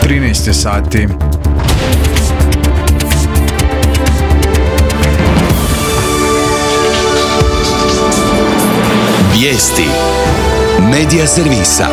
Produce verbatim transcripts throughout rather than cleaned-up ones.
trinaest je sati. Vijesti Medija servisa.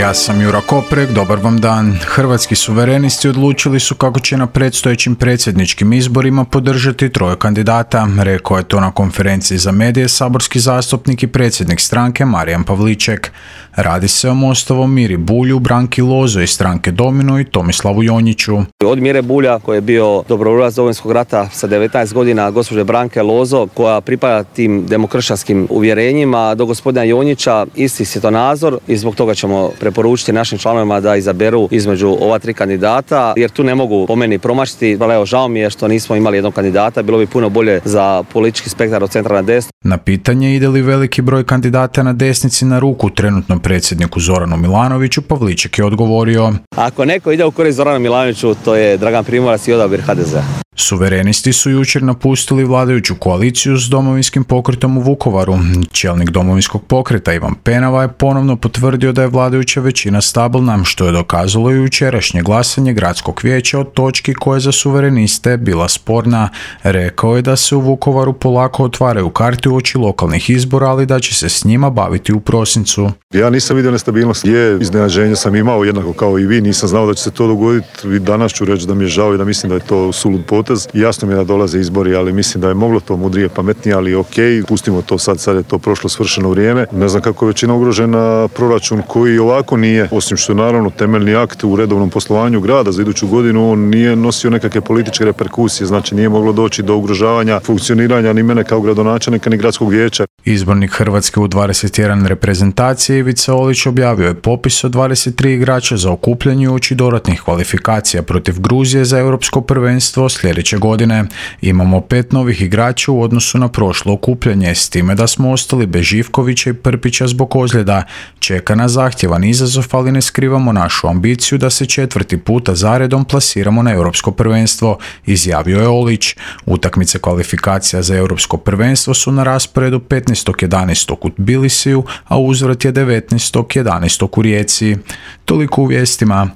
Ja sam Jura Koprek, dobar vam dan. Hrvatski suverenisti odlučili su kako će na predstojećim predsjedničkim izborima podržati troje kandidata. Rekao je to na konferenciji za medije saborski zastupnik i predsjednik stranke Marijan Pavliček. Radi se o Mostovom Miri Bulju, Branki Lozo iz stranke Domino i Tomislavu Jonjiću. Od Mire Bulja, koji je bio dobrovoljac Domovinskog rata sa devetnaest godina, gospođe Branke Lozo, koja pripada tim demokršćanskim uvjerenjima, do gospodina Jonjića isti svjetonazor, i zbog toga ćemo preporučiti našim članovima da izaberu između ova tri kandidata, jer tu ne mogu po meni promašiti. Evo, žao mi je što nismo imali jednog kandidata, bilo bi puno bolje za politički spektar od centra na desno. Na pitanje ide li veliki broj kandidata na desnici na ruku trenutnom predsjedniku Zoranu Milanoviću, Pavliček je odgovorio: Ako neko ide u korist Zoranu Milanoviću, to je Dragan Primorac i odabir ha de zea. Suverenisti su jučer napustili vladajuću koaliciju s Domovinskim pokretom u Vukovaru. Čelnik Domovinskog pokreta Ivan Penava je ponovno potvrdio da je vladajuća većina stabilna, što je dokazalo i jučerašnje glasanje gradskog vijeća o točki koja je za suvereniste bila sporna. Rekao je da se u Vukovaru polako otvaraju karte uoči lokalnih izbora, ali da će se s njima baviti u prosincu. Ja nisam vidio nestabilnost. Je, iznenađenje sam imao jednako kao i vi, nisam znao da će se to dogoditi. Danas ću reći da mi je žao i da mislim da je to sulud potez. Jasno mi je da dolaze izbori, ali mislim da je moglo to mudrije, pametnije, ali ok, pustimo to sad, sad je to prošlo svršeno vrijeme. Ne znam kako je većina ugrožena proračun koji ovako nije, osim što je naravno temeljni akt u redovnom poslovanju grada za iduću godinu, on nije nosio nekakve političke reperkusije, znači nije moglo doći do ugrožavanja funkcioniranja ni mene kao gradonačelnika ni gradskog vijeća. Izbornik Hrvatske u dvadeset jedan reprezentacije Ivica Olić objavio je popis od dvadeset tri igrača za okupljanje uoči dodatnih kvalifikacija protiv Gruzije za europsko prvenstvo sljedeće godine. Imamo pet novih igrača u odnosu na prošlo okupljanje, s time da smo ostali bez Živkovića i Prpića zbog ozljeda. Čeka nas zahtjevan izazov, ali ne skrivamo našu ambiciju da se četvrti puta zaredom plasiramo na europsko prvenstvo, izjavio je Olić. Utakmice kvalifikacija za europsko prvenstvo su na rasporedu petnaestog jedanaestog u Tbilisiju, a uzvrat je devetnaestog jedanaestog u Rijeci. Toliko u vijestima.